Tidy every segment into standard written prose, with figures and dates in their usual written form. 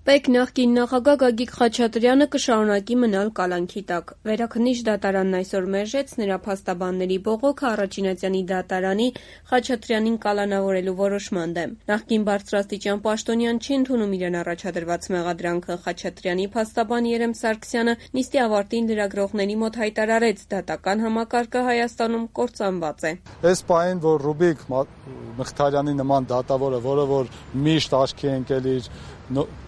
Պեկ նախկին նախագահ Գագիկ Խաչատրյանը կշարունակի մնալ կալանքի տակ։ Վերաքննիչ դատարանն այսօր մերժեց նրա փաստաբանների բողոքը Առաջինացյանի դատարանի Խաչատրյանին կալանավորելու որոշման դեմ։ Նախկին բարձրաստիճան պաշտոնյան չի ընդունում իրեն առաջադրված մեղադրանքը։ Խաչատրյանի փաստաբան Երեմ Սարգսյանը նիստի ավարտին լրագրողների մոտ հայտարարեց՝ դատական համակարգը Հայաստանում կործանված է։ Այս պահին, որ Ռուբիկ Մխիթարյանի նման դատավորը, որը որ միշտ աչքի է ընկել իր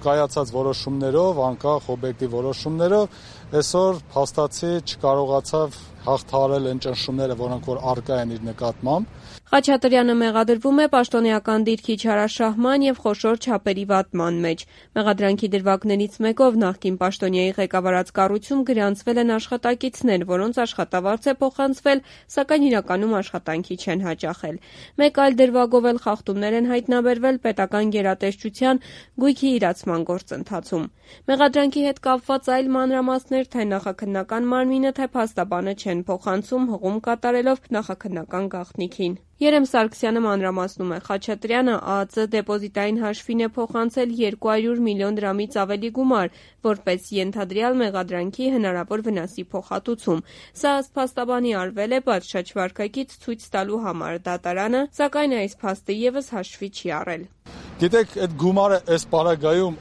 կայացած որոշումներով, անկախ օբյեկտիվ որոշումներով, այսօր փաստացի չկարողացավ հաղթահարել այն ճնշումները, որոնք որ առկա են իր նկատմամբ։ Խաչատրյանը մեղադրվում է պաշտոնեական դիրքի չարաշահման և խոշոր չափերի վատման մեջ։ Մեղադրանքի դրվագներից մեկով նախկին պաշտոնյայի ղեկավարած կառույցում գրանցվել են աշխատակիցներ, որոնց աշխատավարձ է փոխանցվել, սակայն իրականում աշխատանքի չեն հաճախել։ Մեկ այլ դրվագով էլ խախտումներ են հայտնաբերվել պետական գերատեսչության գույքի իրացման գործընթացում։ Մեղադրանքի հետ կապված այլ մանրամասներ թե նախաքննական մարմինը, թե փաստաբանը չեն փոխանցում, հղում կատարելով նախաքննական գաղտնիքին։ Երեմ Սարգսյանը մանրամասնում է՝ Խաչատրյանը ԱԱԾ դեպոզիտային հաշվին է փոխանցել 200 միլիոն դրամից ավելի գումար, որպես ենթադրյալ մեղադրանքի հնարավոր վնասի փոխհատուցում։ Սա ըստ փաստաբանի արվել է պատշաճ վարքագիծ ցույց տալու համար։ Դատարանը, սակայն, այս փաստը ևս հաշվի չի առել։ Գիտեք, այդ գումարը այս պարագայում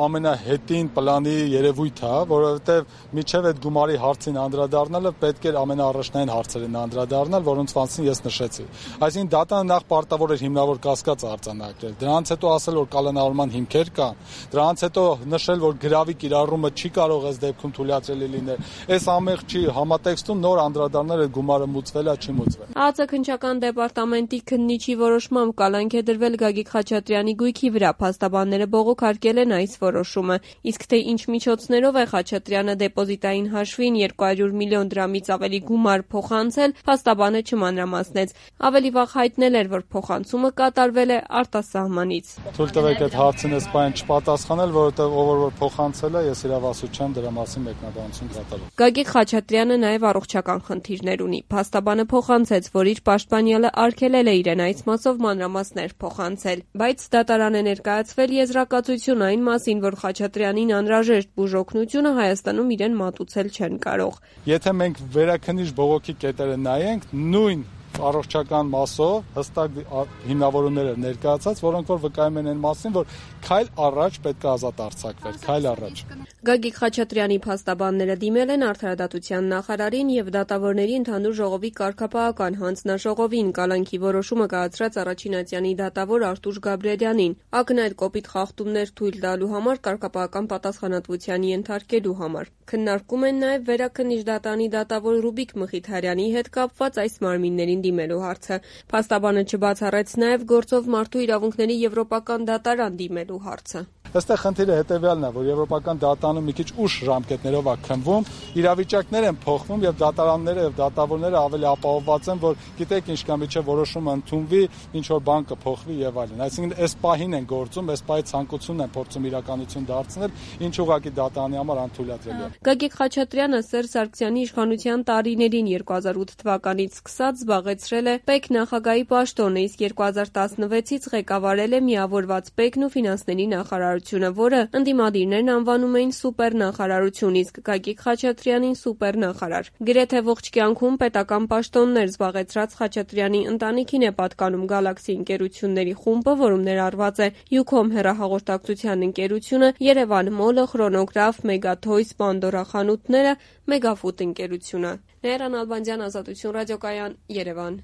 ամենահետին պլանի երևույթ է, որովհետև միջև այդ գումարի հարցին անդրադառնալը պետք էր ամենաառաջնային հարցերին անդրադառնալ, որոնց մասին ես նշեցի։ Այսինքն դատանը նախ պարտավոր էր հիմնավոր կասկած արձանագրել, դրանից հետո ասել, որ կալանավորման հիմքեր կան, դրանից հետո նշել, որ գրավի կիրառումը չի կարող այս դեպքում թույլատրելի լինել։ Այս ամենի համատեքստում նոր անդրադառնել այդ գումարը մուծվել է, չի մուծվել։ ԱԱԾ քննչական դեպարտամենտի քննիչի որոշմամբ կալանք է դրվել Գագիկ Խաչատրյանի գույքի վրա, փաստաբանները բողոքարկել են այս որոշումը, իսկ թե ինչ միջոցներով է Խաչատրյանը դեպոզիտային հաշվին 200 միլիոն դրամից ավելի գումար փոխանցել, փաստաբանը չմանրամասնեց, ավելի վաղ հայտնել էր, որ փոխանցումը կատարվել է արտասահմանից։ Թույլ տվեք այդ հարցին այս պահին չպատասխանել, որովհետև ով որ փոխանցել է, ես իրավասու չեմ դրա մասին մեկնաբանություն կատարել։ Գագիկ Խաչատրյանը նաև առողջական խնդիրներ ունի։ Փաստաբանը փոխանցեց, որ իր պաշտպանյալը արգելել է իրեն այս մասով մանրամասներ փոխանցել, բայց դատարան է ներկայացվել եզրակացություն այն մասին, որ Խաչատրյանին անհրաժեշտ բուժօգնությունը Հայաստանում իրեն մատուցել չեն կարող։ Եթե մենք վերաքննիչ բողոքի կետերը նայենք, նույն առողջական մասով հստակ հիմնավորումներ էր ներկայացած, որոնք որ վկայում են այն մասին, որ քայլ առաջ պետք է ազատ արձակվեր, քայլ առաջ։ Գագիկ Խաչատրյանի փաստաբանները դիմել են Արդարադատության նախարարին և Դատավորների ընդհանուր ժողովի կարգապահական հանձնաժողովին, կալանքի որոշումը կայացրած Առաջինացյանի դատավոր Արտուշ Գաբրիելյանին, ակնհայտ կոպիտ խախտումներ թույլ տալու համար կարգապահական պատասխանատվության ենթարկելու համար։ Քննարկում են նաև Վերաքննիչ դատարանի դատավոր Ռուբիկ Մխիթարյանի հետ կապված այս մարմիններին դիմելու հարցը։ Փաստաբանը չբացառեց նաև գործով մարդու իրավունքների եվրոպական դատարան դիմելու հարցը։ Այստեղ խնդիրը հետևյալն է, որ եվրոպական դատարանում մի քիչ ուշ ժամկետներով է քննվում, իրավիճակներ են փոխվում եւ դատարանները եւ դատավորները ավելի ապահովված են, որ գիտեք ինչ կա միջև որոշումը ընդունվի, ինչ որ բան կփոխվի եւ այլն։ Այսինքն այս պահին են գործում, այս պահի ցանկությունն են փորձում իրականություն դարձնել, ինչ ուղղակի դատարանի համար անթույլատրելի է։ Գագիկ Խաչատրյանը Սերժ Սարգսյանի իշխանության տարիներին 2008 թվականից սկսած զբաղեցրել է ՊԵԿ նախագահի պաշտոնը, իսկ 2016-ից ղեկավարել է միավորված ՊԵԿ-ն ու ֆինանսների նախարարությունը, որը ընդդիմադիրներն անվանում էին սուպերնախարարություն, իսկ Գագիկ Խաչատրյանին սուպերնախարար։ Գրեթե ողջ կյանքում պետական պաշտոններ զբաղեցրած Խաչատրյանի ընտանիքին է պատկանում Գալաքսի ընկերությունների խումբը, որում ներառված է Յուքոմ հեռահաղորդակցության ընկերությունը, Երևան Մոլը, Խրոնոգրաֆ, Մեգաթոյս, Պանդորա խանութները, Մեգաֆուդ ընկերությունը։ Լեյրան Ալբանդյան, Ազատություն ռադիոկայան, Երևան։